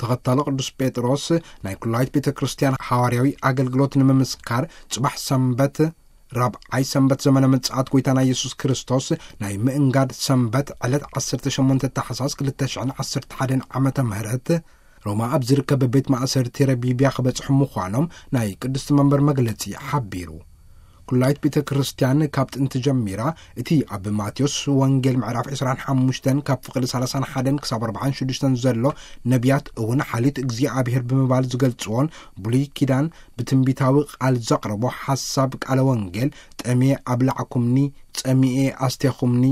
ተኸታሎ ቅዱስ ጴጥሮስ ናይ ኩላይት ቤተ ክርስቲያን ሓዋርያዊ ኣገልግሎት ንምምስካር፣ ጽባሕ ሰንበት፣ ራብዓይ ሰንበት ዘመነ ምጽኣት ጐይታና ኢየሱስ ክርስቶስ ናይ ምእንጋድ ሰንበት፣ ዕለት ዓሰርተ ሸሞንተ ታሕሳስ ክልተ ሽሕን ዓሰርተ ሓደን ዓመተ ምህረት፣ ሮማ ኣብ ዝርከብ ቤት ማእሰርቲ ረቢብያ ክበጽሑ ምዃኖም ናይ ቅድስቲ መንበር መግለጺ ሓቢሩ። ኩላይት ቤተ ክርስቲያን ካብ ጥንቲ ጀሚራ፣ እቲ ኣብ ማቴዎስ ወንጌል ምዕራፍ ዕስራን ሓሙሽተን ካብ ፍቕዲ ሰላሳን ሓደን ክሳብ ኣርባዓን ሽዱሽተን ዘሎ ነቢያት እውን ሓልዮት እግዚኣብሔር ብምባል ዝገልጽዎን፣ ብሉይ ኪዳን ብትንቢታዊ ቃል ዘቕረቦ ሓሳብ ቃለ ወንጌል፣ "ጠምየ ኣብላዕኩምኒ፣ ጸሚኤ ኣስቴኹምኒ፣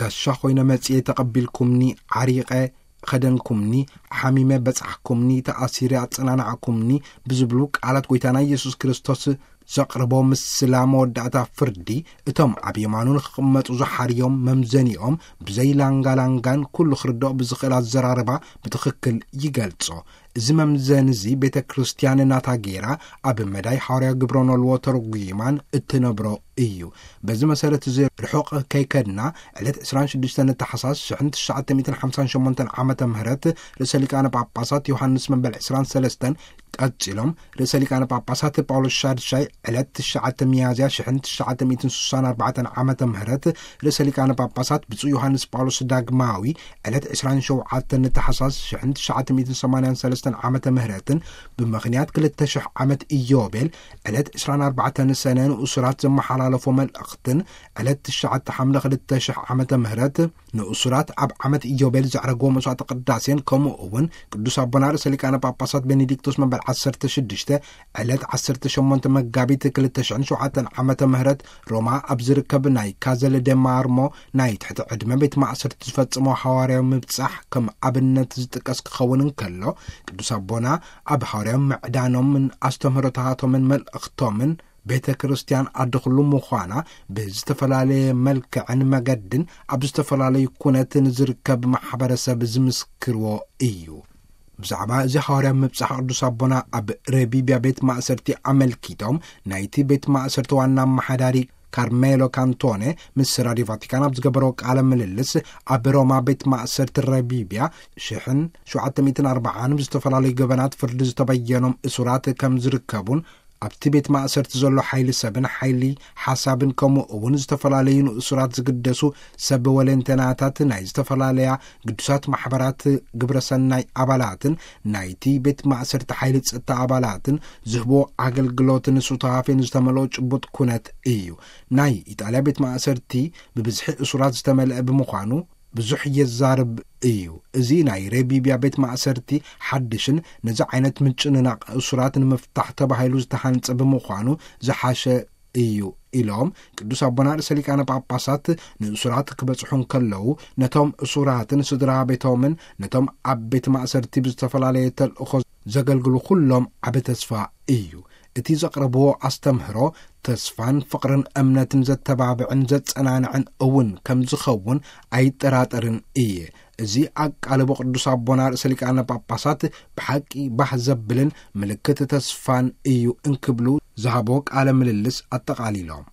ጋሻ ኾይነ መጺኤ ተቐቢልኩምኒ፣ ዓሪቐ ኸደንኩምኒ፣ ሓሚመ በጻሕኩምኒ፣ ተኣሲረ ኣጸናናዕኩምኒ" ብዝብሉ ቃላት ጐይታና ኢየሱስ ክርስቶስ ዘቕርቦ ምስላ መወዳእታ ፍርዲ፣ እቶም ኣብ የማኑ ንኽቕመጡ ዝሓርዮም መምዘኒኦም ብዘይ ላንጋላንጋን ኩሉ ክርድኦ ብዝኽእል ኣዘራርባ ብትኽክል ይገልጾ። እዚ መምዘኒ እዚ ቤተ ክርስቲያን ናታ ጌራ ኣብ መዳይ ሓዋርያ ግብረ ኖልዎ ተርጒማን እትነብሮ እዩ። በዚ መሰረት እዚ ርሑቕ ከይከድና፣ ዕለት ዕስራን ሽዱሽተን ታሕሳስ ሽሕን ትሽዓተ ሚእትን ሓምሳን ሸሞንተን ዓመተ ምህረት ርእሰ ሊቃነ ጳጳሳት ዮሃንስ መበል ዕስራን ሰለስተን ቀጺሎም፣ ርእሰ ሊቃነ ጳጳሳት ጳውሎስ ሻድሻይ ዕለት ትሽዓተ ሚያዝያ ሽሕን ትሽዓተ ሚእትን ስሳን ኣርባዕተን ዓመተ ምህረት፣ ርእሰ ሊቃነ ጳጳሳት ብፁዕ ዮሃንስ ጳውሎስ ዳግማዊ ዕለት ዕስራን ሸውዓተን ታሕሳስ ሽሕን ትሽዓተ ሚእትን ሰማንያን ሰለስተን ዓመተ ምህረትን ብምኽንያት ክልተ ሽሕ ዓመት ኢዮቤል ዕለት ዕስራን ኣርባዕተን ሰነ ንእሱራት ዘመሓላለፎ መልእኽትን፣ ዕለት ትሽዓተ ሓምለ ክልተ ሽሕ ዓመተ ምህረት ንእሱራት ኣብ ዓመት ኢዮቤል ዘዕረግዎ መስዋዕተ ቅዳሴን፣ ከምኡ እውን ቅዱስ ኣቦና ርእሰ ሊቃነ ጳጳሳት ቤኔዲክቶስ መበል ዓሰርተ ሽዱሽተ ዕለት ዓሰርተ ሸሞንተ መጋቢት ክልተ ሽሕን ሸውዓተን ዓመተ ምህረት ሮማ ኣብ ዝርከብ ናይ ካዘል ደ ማርሞ ናይ ትሕቲ ዕድመ ቤት ማእሰርቲ ዝፈጸሞ ሃዋርያዊ ምብጻሕ ከም ኣብነት ዝጥቀስ ክኸውን እንከሎ፣ ቅዱስ ኣቦና ኣብ ሃዋርያዊ ምዕዳኖምን ኣስተምህሮታቶምን መልእኽቶምን ቤተ ክርስቲያን ኣደ ኩሉ ምዃና ብዝተፈላለየ መልክዕን መገድን ኣብ ዝተፈላለዩ ኩነትን ዝርከብ ማሕበረሰብ ዝምስክርዎ እዩ። ብዛዕባ እዚ ሃዋርያ ምብጻሕ ቅዱስ ኣቦና ኣብ ረቢብያ ቤት ማእሰርቲ ኣመልኪቶም፣ ናይቲ ቤት ማእሰርቲ ዋና ኣመሓዳሪ ካርሜሎ ካንቶኔ ምስ ራድዮ ቫቲካን ኣብ ዝገበሮ ቃለ ምልልስ፣ ኣብ ሮማ ቤት ማእሰርቲ ረቢብያ ሽሕን ሸውዓተ ሚእትን ኣርባዓን ብዝተፈላለዩ ገበናት ፍርዲ ዝተበየኖም እሱራት ከም ዝርከቡን፣ ኣብቲ ቤት ማእሰርቲ ዘሎ ሓይሊ ሰብን ሓይሊ ሓሳብን፣ ከምኡ እውን ዝተፈላለዩ ንእሱራት ዝግደሱ ሰብ ወለንተናታት፣ ናይ ዝተፈላለያ ግዱሳት ማሕበራት ግብረ ሰናይ ኣባላትን ናይቲ ቤት ማእሰርቲ ሓይሊ ጸጥታ ኣባላትን ዝህቦ ኣገልግሎትን ሱታፌን ዝተመልኦ ጭቡጥ ኩነት እዩ። ናይ ኢጣልያ ቤት ማእሰርቲ ብብዝሒ እሱራት ዝተመልአ ብምዃኑ ብዙሕ የዛርብ እዩ። እዚ ናይ ረቢብያ ቤት ማእሰርቲ ሓድሽን ነዚ ዓይነት ምጭንናቕ እሱራት ንምፍታሕ ተባሂሉ ዝተሃንጸ ብምዃኑ ዝሓሸ እዩ ኢሎም፣ ቅዱስ ኣቦና ርእሰ ሊቃነ ጳጳሳት ንእሱራት ክበጽሑ እንከለዉ፣ ነቶም እሱራትን ስድራ ቤቶምን ነቶም ኣብ ቤት ማእሰርቲ ብዝተፈላለየ ተልእኾ ዘገልግሉ ኩሎም ዓቢ ተስፋ እዩ። እቲ ዘቕረብዎ ኣስተምህሮ ተስፋን ፍቕርን እምነትን ዘተባብዕን ዘጸናንዕን እውን ከም ዝኸውን ኣይጠራጠርን እየ። እዚ ኣቃልቦ ቅዱስ ኣቦና ርእሰ ሊቃነ ጳጳሳት ብሓቂ ባህ ዘብልን ምልክት ተስፋን እዩ እንክብሉ ዝሃቦ ቃለ ምልልስ ኣጠቓሊሎም።